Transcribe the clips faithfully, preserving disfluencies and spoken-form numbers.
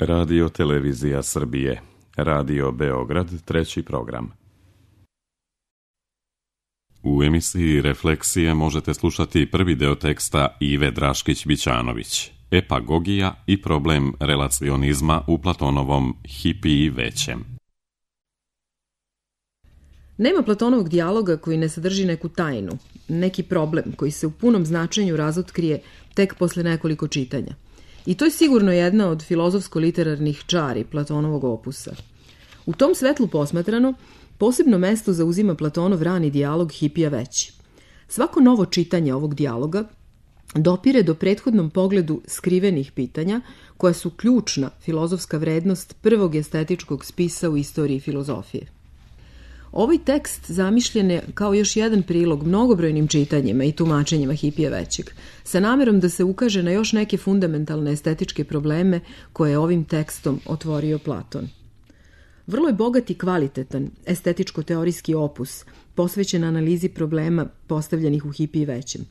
Radio Televizija Srbije, Radio Beograd, treći program. U emisiji Refleksije možete slušati prvi deo teksta Ive Draškić-Bićanović, Epagogija i problem relacionizma u Platonovom Hipiji većem. Nema Platonovog dijaloga koji ne sadrži neku tajnu, neki problem koji se u punom značenju razotkrije tek posle nekoliko čitanja. I to je sigurno jedna od filozofsko-literarnih čari Platonovog opusa. U tom svetlu posmatrano, posebno mesto zauzima Platonov rani dijalog Hipija veći. Svako novo čitanje ovog dijaloga dopire do prethodnom pogledu skrivenih pitanja koja su ključna filozofska vrednost prvog estetičkog spisa u istoriji filozofije. Ovaj tekst zamišljen je kao još jedan prilog mnogobrojnim čitanjima i tumačenjima Hipija većeg, sa namerom da se ukaže na još neke fundamentalne estetičke probleme koje je ovim tekstom otvorio Platon. Vrlo je bogat i kvalitetan estetičko-teorijski opus posvećen analizi problema postavljenih u Hipiji većem.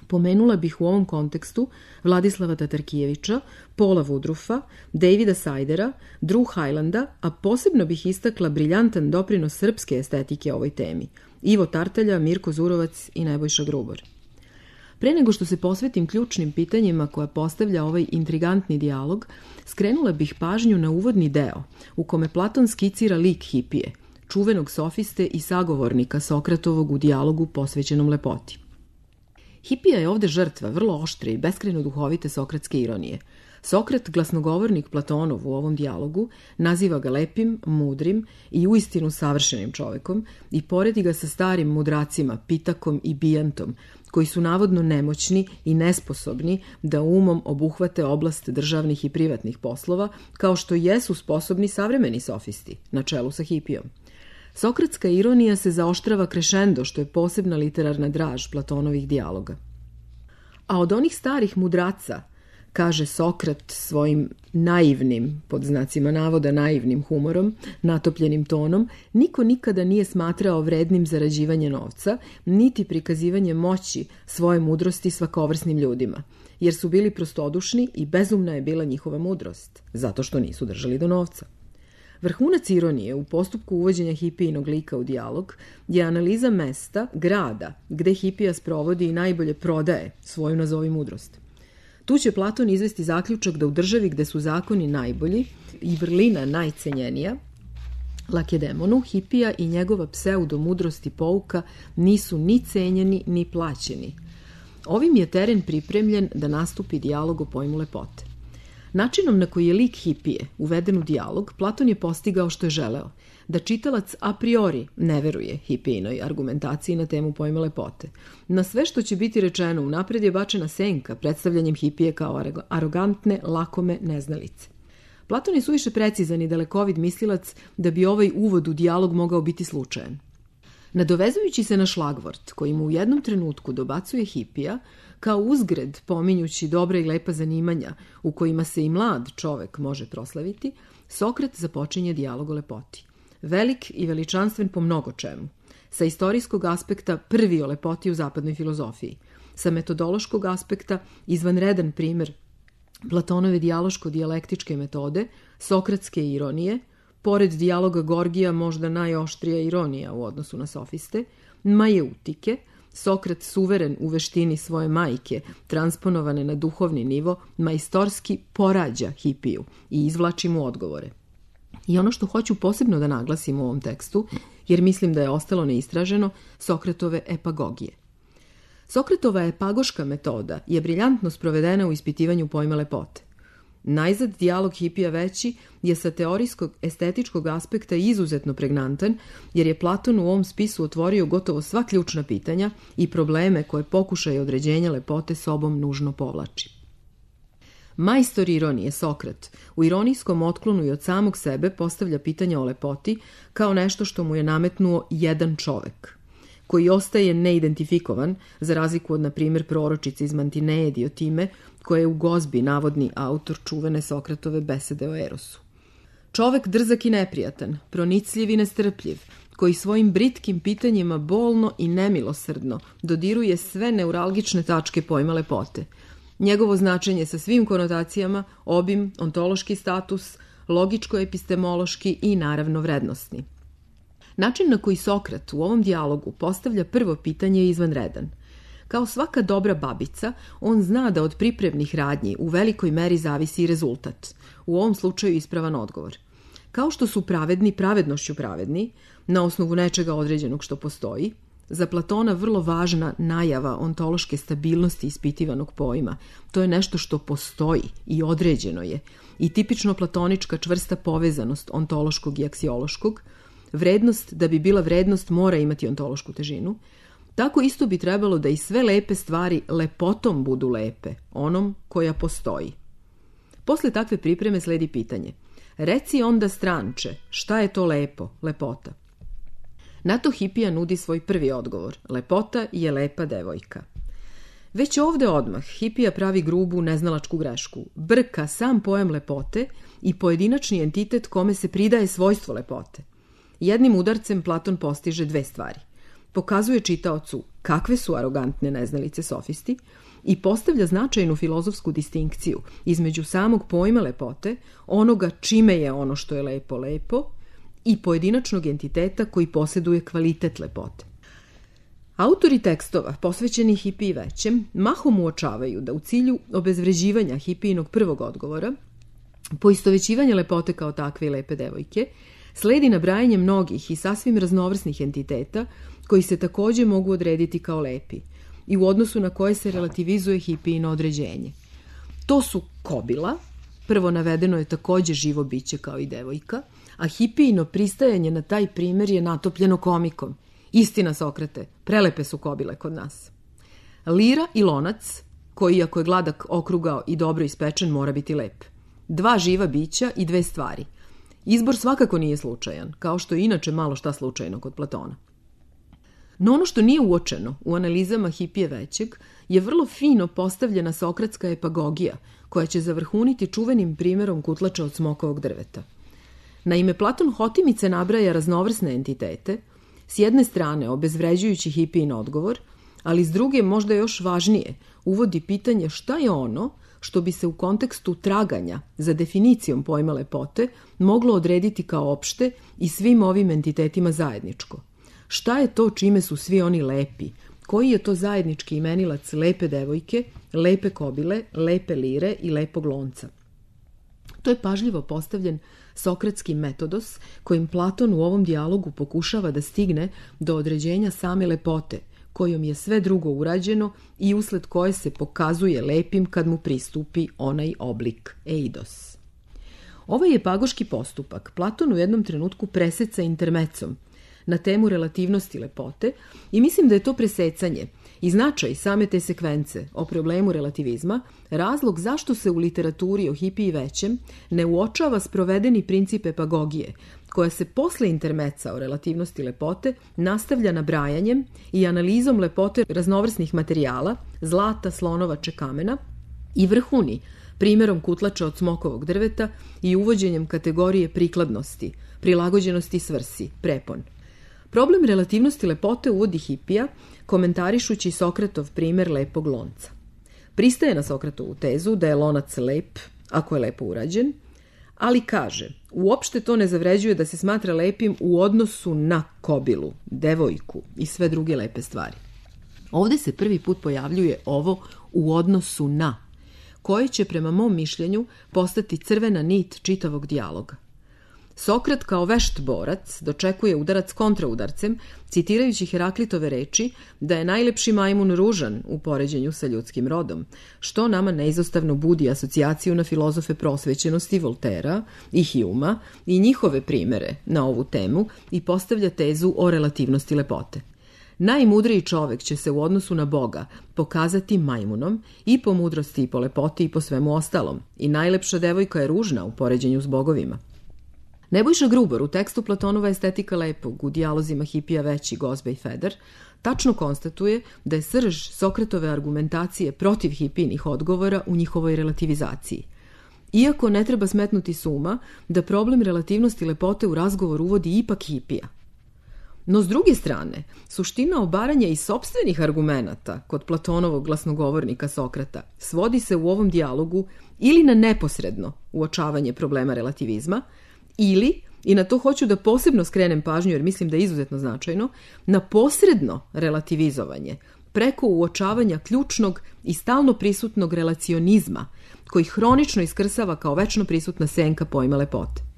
Pomenula bih u ovom kontekstu Vladislava Tatarkijevića, Paula Woodruffa, Davida Sajdera, Drew Hylanda, a posebno bih istakla briljantan doprinos srpske estetike ovoj temi, Ivo Tartalja, Mirko Zurovac i Nebojša Grubor. Pre nego što se posvetim ključnim pitanjima koja postavlja ovaj intrigantni dijalog, skrenula bih pažnju na uvodni deo u kome Platon skicira lik Hipije, čuvenog sofiste i sagovornika Sokratovog u dijalogu posvećenom lepoti. Hipija je ovde žrtva vrlo oštre i beskrajno duhovite sokratske ironije. Sokrat, glasnogovornik Platonov u ovom dijalogu, naziva ga lepim, mudrim i uistinu savršenim čovekom i poredi ga sa starim mudracima Pitakom i Bijantom, koji su navodno nemoćni i nesposobni da umom obuhvate oblast državnih i privatnih poslova, kao što jesu sposobni savremeni sofisti, na čelu sa Hipijom. Sokratska ironija se zaoštrava krešendo, što je posebna literarna draž Platonovih dijaloga. A od onih starih mudraca, kaže Sokrat svojim naivnim, pod znacima navoda naivnim humorom, natopljenim tonom, niko nikada nije smatrao vrednim zarađivanje novca, niti prikazivanje moći svoje mudrosti svakovrsnim ljudima, jer su bili prostodušni i bezumna je bila njihova mudrost, zato što nisu držali do novca. Vrhunac ironije u postupku uvođenja Hipijinog lika u dijalog je analiza mesta, grada, gde Hipija sprovodi i najbolje prodaje svoju nazovi mudrost. Tu će Platon izvesti zaključak da u državi gde su zakoni najbolji i vrlina najcenjenija, Lakedemonu, Hipija i njegova pseudo-mudrost i pouka nisu ni cenjeni ni plaćeni. Ovim je teren pripremljen da nastupi dijalog o pojmu lepote. Načinom na koji je lik Hipije uveden u dijalog, Platon je postigao što je želeo, da čitalac a priori ne veruje Hipijinoj argumentaciji na temu pojma lepote. Na sve što će biti rečeno unapred je bačena senka predstavljanjem Hipije kao arogantne, lakome neznalice. Platon je suviše precizan i dalekovid mislilac da bi ovaj uvod u dijalog mogao biti slučajan. Nadovezujući se na šlagvort koji mu u jednom trenutku dobacuje Hipija, kao uzgred pominjući dobra i lepa zanimanja u kojima se i mlad čovek može proslaviti, Sokrat započinje dijalog o lepoti. Velik i veličanstven po mnogo čemu. Sa istorijskog aspekta prvi o lepoti u zapadnoj filozofiji. Sa metodološkog aspekta izvanredan primer Platonove dijaloško-dijalektičke metode, sokratske ironije, pored dijaloga Gorgija možda najoštrija ironija u odnosu na sofiste, majeutike, Sokrat suveren u veštini svoje majke, transponovane na duhovni nivo, majstorski porađa Hipiju i izvlači mu odgovore. I ono što hoću posebno da naglasim u ovom tekstu, jer mislim da je ostalo neistraženo, Sokratove epagogije. Sokratova epagoška metoda je briljantno sprovedena u ispitivanju pojma lepote. Najzad dijalog Hipija veći je sa teorijskog estetičkog aspekta izuzetno pregnantan, jer je Platon u ovom spisu otvorio gotovo sva ključna pitanja i probleme koje pokušaj određenja lepote sobom nužno povlači. Majstor ironije Sokrat u ironijskom otklonu i od samog sebe postavlja pitanja o lepoti kao nešto što mu je nametnuo jedan čovek, koji ostaje neidentifikovan, za razliku od, na primjer, proročice iz Mantineje Diotime, koje je u Gozbi navodni autor čuvene Sokratove besede o Erosu. Čovek drzak i neprijatan, pronicljiv i nestrpljiv, koji svojim britkim pitanjima bolno i nemilosrdno dodiruje sve neuralgične tačke pojma lepote. njegovo značenje sa svim konotacijama, obim, ontološki status, logičko-epistemološki i naravno vrednosni. Način na koji Sokrat u ovom dijalogu postavlja prvo pitanje je izvanredan. Kao svaka dobra babica, on zna da od pripremnih radnji u velikoj meri zavisi i rezultat, u ovom slučaju ispravan odgovor. Kao što su pravedni pravednošću pravedni, na osnovu nečega određenog što postoji, za Platona vrlo važna najava ontološke stabilnosti ispitivanog pojma. To je nešto što postoji i određeno je, i tipično platonička čvrsta povezanost ontološkog i aksiološkog. Vrednost, da bi bila vrednost, mora imati ontološku težinu. Tako isto bi trebalo da i sve lepe stvari lepotom budu lepe, onom koja postoji. Posle takve pripreme sledi pitanje. Reci onda, stranče, šta je to lepo, lepota? Na to Hipija nudi svoj prvi odgovor. Lepota je lepa devojka. Već ovde odmah Hipija pravi grubu neznalačku grešku. Brka sam pojam lepote i pojedinačni entitet kome se pridaje svojstvo lepote. Jednim udarcem Platon postiže dve stvari. Pokazuje čitaocu kakve su arogantne neznalice sofisti i postavlja značajnu filozofsku distinkciju između samog pojma lepote, onoga čime je ono što je lepo lepo, i pojedinačnog entiteta koji posjeduje kvalitet lepote. Autori tekstova, posvećeni Hipiji većem, mahom uočavaju da u cilju obezvređivanja Hipijinog prvog odgovora, poistovećivanja lepote kao takve i lepe devojke, sledi nabrajanje mnogih i sasvim raznovrsnih entiteta koji se takođe mogu odrediti kao lepi i u odnosu na koje se relativizuje Hipijino određenje. To su kobila, prvo navedeno je takođe živo biće kao i devojka, a Hipijino pristajanje na taj primer je natopljeno komikom. Istina, Sokrate, prelepe su kobile kod nas. Lira i lonac, koji ako je gladak okrugao i dobro ispečen, mora biti lep. Dva živa bića i dve stvari. Izbor svakako nije slučajan, kao što je inače malo šta slučajno kod Platona. No ono što nije uočeno u analizama Hipije većeg je vrlo fino postavljena sokratska epagogija, koja će zavrhuniti čuvenim primjerom kutlača od smokovog drveta. Naime, Platon hotimice nabraja raznovrsne entitete, s jedne strane obezvređujući Hipijin odgovor, ali s druge, možda još važnije, uvodi pitanje šta je ono što bi se u kontekstu traganja za definicijom pojma lepote moglo odrediti kao opšte i svim ovim entitetima zajedničko. Šta je to čime su svi oni lepi? Koji je to zajednički imenilac lepe devojke, lepe kobile, lepe lire i lepog lonca? To je pažljivo postavljen sokratski metodos kojim Platon u ovom dijalogu pokušava da stigne do određenja same lepote, kojom je sve drugo urađeno i usled koje se pokazuje lepim kad mu pristupi onaj oblik eidos. Ovaj epagoški postupak Platon u jednom trenutku preseca intermecom na temu relativnosti lepote i mislim da je to presecanje i značaj same te sekvence o problemu relativizma razlog zašto se u literaturi o Hipiji većem ne uočava sprovedeni princip epagogije, koja se posle intermeca o relativnosti lepote nastavlja nabrajanjem i analizom lepote raznovrsnih materijala, zlata, slonovače, kamena i vrhuni primjerom kutlača od smokovog drveta i uvođenjem kategorije prikladnosti, prilagođenosti svrsi, prepon. Problem relativnosti lepote uvodi Hipija, komentarišući Sokratov primjer lepog lonca. Pristaje na Sokratovu tezu da je lonac lep, ako je lepo urađen, ali kaže, uopšte to ne zavređuje da se smatra lepim u odnosu na kobilu, devojku i sve druge lepe stvari. Ovde se prvi put pojavljuje ovo u odnosu na, koje će prema mom mišljenju postati crvena nit čitavog dijaloga. Sokrat kao vešt borac dočekuje udarac kontraudarcem, citirajući Heraklitove reči da je najlepši majmun ružan u poređenju sa ljudskim rodom, što nama neizostavno budi asocijaciju na filozofe prosvećenosti Voltera i Hjuma i njihove primere na ovu temu i postavlja tezu o relativnosti lepote. Najmudriji čovek će se u odnosu na Boga pokazati majmunom i po mudrosti i po lepoti i po svemu ostalom, i najlepša devojka je ružna u poređenju s bogovima. Nebojša Grubar u tekstu Platonova estetika lepog u dijalozima Hipija veći, Gozbe i Feder tačno konstatuje da je srž Sokratove argumentacije protiv Hipijinih odgovora u njihovoj relativizaciji. Iako ne treba smetnuti s uma da problem relativnosti lepote u razgovor uvodi ipak Hipija. No s druge strane, suština obaranja i sopstvenih argumenata kod Platonovog glasnogovornika Sokrata svodi se u ovom dijalogu ili na neposredno uočavanje problema relativizma, ili, i na to hoću da posebno skrenem pažnju jer mislim da je izuzetno značajno, na posredno relativizovanje preko uočavanja ključnog i stalno prisutnog relacionizma koji hronično iskrsava kao večno prisutna senka pojma lepote.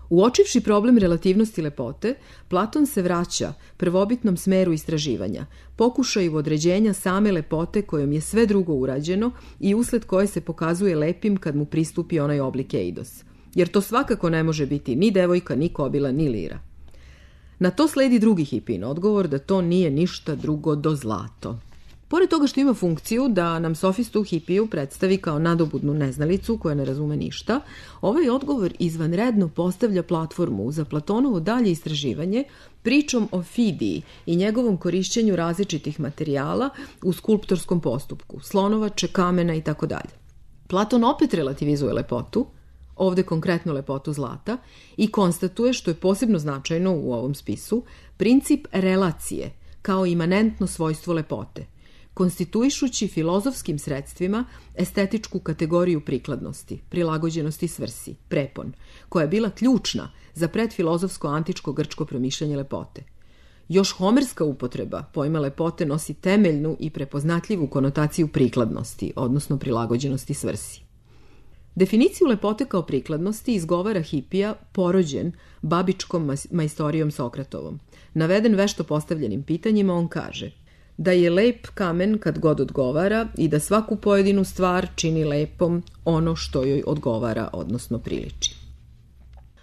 Uočivši problem relativnosti lepote, Platon se vraća prvobitnom smeru istraživanja, pokušaju određenja same lepote kojom je sve drugo urađeno i usled koje se pokazuje lepim kad mu pristupi onaj oblik eidos. Jer to svakako ne može biti ni devojka, ni kobila, ni lira. Na to sledi drugi Hipijin odgovor da to nije ništa drugo do zlato. Pored toga što ima funkciju da nam sofistu Hipiju predstavi kao nadobudnu neznalicu koja ne razume ništa, ovaj odgovor izvanredno postavlja platformu za Platonovo dalje istraživanje pričom o Fidiji i njegovom korišćenju različitih materijala u skulptorskom postupku, slonovače, kamena i tako dalje. Platon opet relativizuje lepotu, ovde konkretno lepotu zlata, i konstatuje, što je posebno značajno u ovom spisu, princip relacije kao imanentno svojstvo lepote, konstituišući filozofskim sredstvima estetičku kategoriju prikladnosti, prilagođenosti svrsi, prepon, koja je bila ključna za predfilozofsko antičko grčko promišljanje lepote. Još homerska upotreba pojma lepote nosi temeljnu i prepoznatljivu konotaciju prikladnosti, odnosno prilagođenosti svrsi. Definiciju lepote kao prikladnosti izgovara Hipija porođen babičkom majstorijom Sokratovom. Naveden vešto postavljenim pitanjima, on kaže da je lep kamen kad god odgovara i da svaku pojedinu stvar čini lepom ono što joj odgovara, odnosno priliči.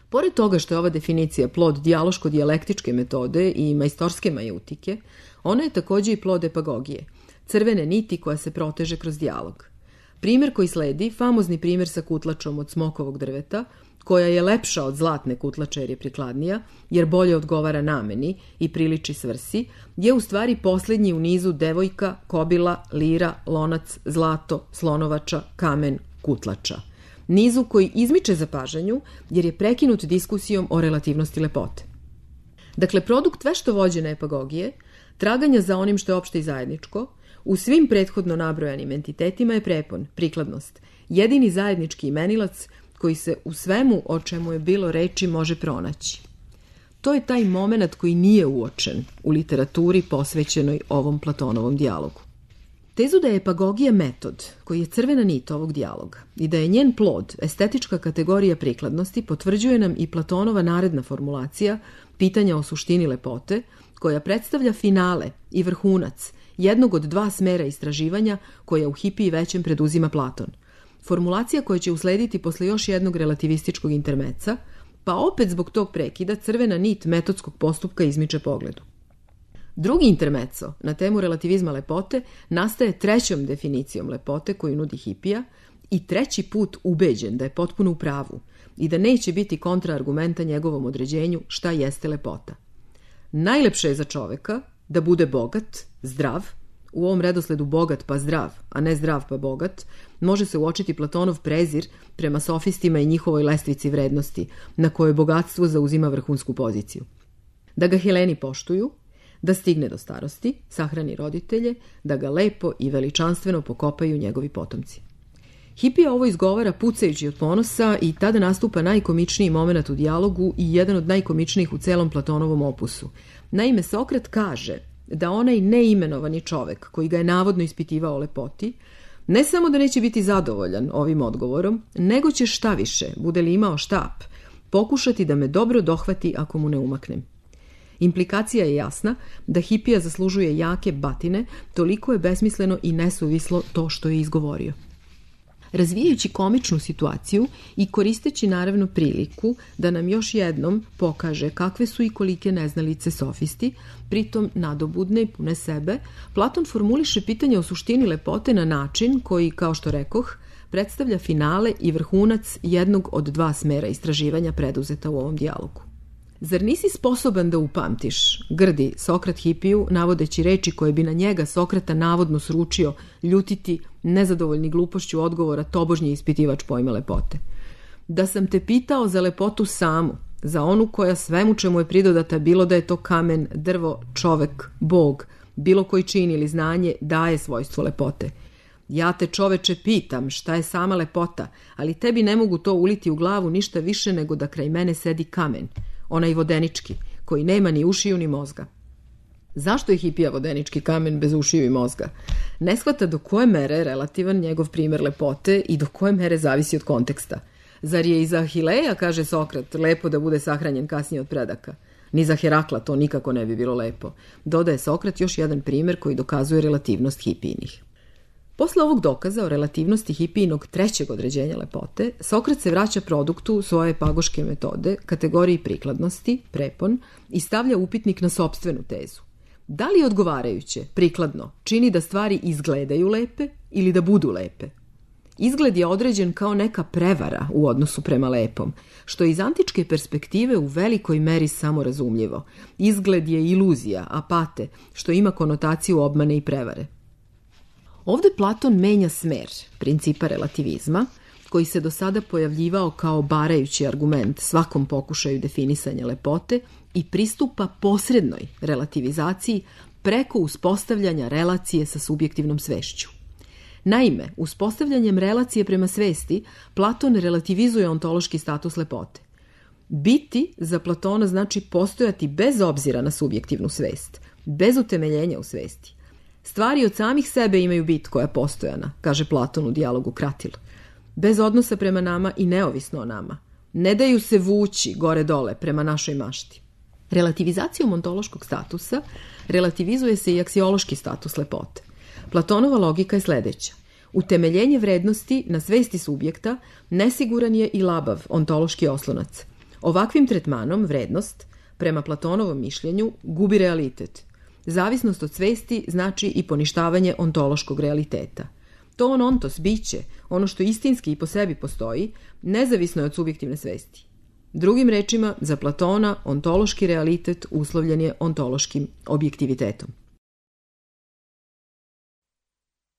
Pored toga što je ova definicija plod dijaloško-dijalektičke metode i majstorske majutike, ona je takođe i plod epagogije, crvene niti koja se proteže kroz dijalog. Primer koji sledi, famozni primer sa kutlačom od smokovog drveta, koja je lepša od zlatne kutlače jer je prikladnija, jer bolje odgovara nameni i priliči svrsi, je u stvari posljednji u nizu devojka, kobila, lira, lonac, zlato, slonovača, kamen, kutlača. Nizu koji izmiče zapažanju jer je prekinut diskusijom o relativnosti lepote. Dakle, produkt vešto vođene epagogije, traganja za onim što je opšte i zajedničko, u svim prethodno nabrojanim entitetima je prepon, prikladnost, jedini zajednički imenilac koji se u svemu o čemu je bilo reči može pronaći. To je taj moment koji nije uočen u literaturi posvećenoj ovom Platonovom dijalogu. Tezu da je epagogija metod koji je crvena nit ovog dijaloga i da je njen plod estetička kategorija prikladnosti potvrđuje nam i Platonova naredna formulacija pitanja o suštini lepote, koja predstavlja finale i vrhunac jednog od dva smera istraživanja koja u Hipiji većem preduzima Platon. Formulacija koja će uslediti posle još jednog relativističkog intermeca, pa opet zbog tog prekida crvena nit metodskog postupka izmiče pogledu. Drugi intermeco na temu relativizma lepote nastaje trećom definicijom lepote koju nudi Hipija i treći put ubeđen da je potpuno u pravu i da neće biti kontraargumenta njegovom određenju šta jeste lepota. Najlepše je za čoveka da bude bogat, zdrav, u ovom redosledu bogat pa zdrav, a ne zdrav pa bogat, može se uočiti Platonov prezir prema sofistima i njihovoj lestvici vrednosti, na kojoj bogatstvo zauzima vrhunsku poziciju. Da ga Heleni poštuju, da stigne do starosti, sahrani roditelje, da ga lepo i veličanstveno pokopaju njegovi potomci. Hipija ovo izgovara pucajući od ponosa i tada nastupa najkomičniji moment u dijalogu i jedan od najkomičnijih u celom Platonovom opusu. Naime, Sokrat kaže da onaj neimenovani čovek koji ga je navodno ispitivao o lepoti, ne samo da neće biti zadovoljan ovim odgovorom, nego će šta više, bude li imao štap, pokušati da me dobro dohvati ako mu ne umaknem. Implikacija je jasna da Hipija zaslužuje jake batine, toliko je besmisleno i nesuvislo to što je izgovorio. Razvijajući komičnu situaciju i koristeći naravno priliku da nam još jednom pokaže kakve su i kolike neznalice sofisti, pritom nadobudne i pune sebe, Platon formuliše pitanje o suštini lepote na način koji, kao što rekoh, predstavlja finale i vrhunac jednog od dva smera istraživanja preduzeta u ovom dijalogu. Zar nisi sposoban da upamtiš, grdi Sokrat Hipiju, navodeći reči koje bi na njega Sokrata navodno sručio ljutiti nezadovoljni glupošću odgovora tobožnji ispitivač pojma lepote. Da sam te pitao za lepotu samu, za onu koja svemu čemu je pridodata, bilo da je to kamen, drvo, čovek, bog, bilo koji čin ili znanje, daje svojstvo lepote. Ja te, čoveče, pitam šta je sama lepota, ali tebi ne mogu to uliti u glavu ništa više nego da kraj mene sedi kamen, onaj vodenički, koji nema ni ušiju ni mozga. Zašto je hipija vodenički kamen bez ušiju i mozga? Ne shvata do koje mere je relativan njegov primer lepote i do koje mere zavisi od konteksta. Zar je i za Ahileja, kaže Sokrat, lepo da bude sahranjen kasnije od predaka? Ni za Herakla to nikako ne bi bilo lepo. Dodaje Sokrat još jedan primer koji dokazuje relativnost hipijinih. Posle ovog dokaza o relativnosti hipijinog trećeg određenja lepote, Sokrat se vraća produktu svoje pagoške metode, kategoriji prikladnosti, prepon, i stavlja upitnik na sopstvenu tezu. Da li odgovarajuće, prikladno, čini da stvari izgledaju lepe ili da budu lepe? Izgled je određen kao neka prevara u odnosu prema lepom, što je iz antičke perspektive u velikoj meri samorazumljivo. Izgled je iluzija, apate, što ima konotaciju obmane i prevare. Ovde Platon menja smer principa relativizma, koji se do sada pojavljivao kao barajući argument svakom pokušaju definisanja lepote, i pristupa posrednoj relativizaciji preko uspostavljanja relacije sa subjektivnom svešću. Naime, uspostavljanjem relacije prema svesti, Platon relativizuje ontološki status lepote. Biti za Platona znači postojati bez obzira na subjektivnu svest, bez utemeljenja u svesti. Stvari od samih sebe imaju bit koja je postojana, kaže Platon u dijalogu Kratil. Bez odnosa prema nama i neovisno o nama. Ne daju se vući gore-dole prema našoj mašti. Relativizacijom ontološkog statusa relativizuje se i aksiološki status lepote. Platonova logika je sledeća. Utemeljenje vrednosti na svesti subjekta nesiguran je i labav ontološki oslonac. Ovakvim tretmanom vrednost, prema Platonovom mišljenju, gubi realitet. Zavisnost od svesti znači i poništavanje ontološkog realiteta. To on ontos, biće, ono što istinski i po sebi postoji, nezavisno je od subjektivne svesti. Drugim rečima, za Platona ontološki realitet uslovljen je ontološkim objektivitetom.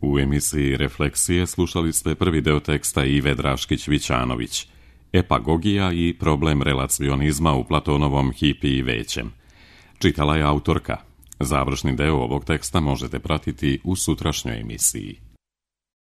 U emisiji Refleksije slušali ste prvi deo teksta Ive Draškić-Vićanović, Epagogija i problem relacionizma u Platonovom hipiji većem. Čitala je autorka. Završni deo ovog teksta možete pratiti u sutrašnjoj emisiji.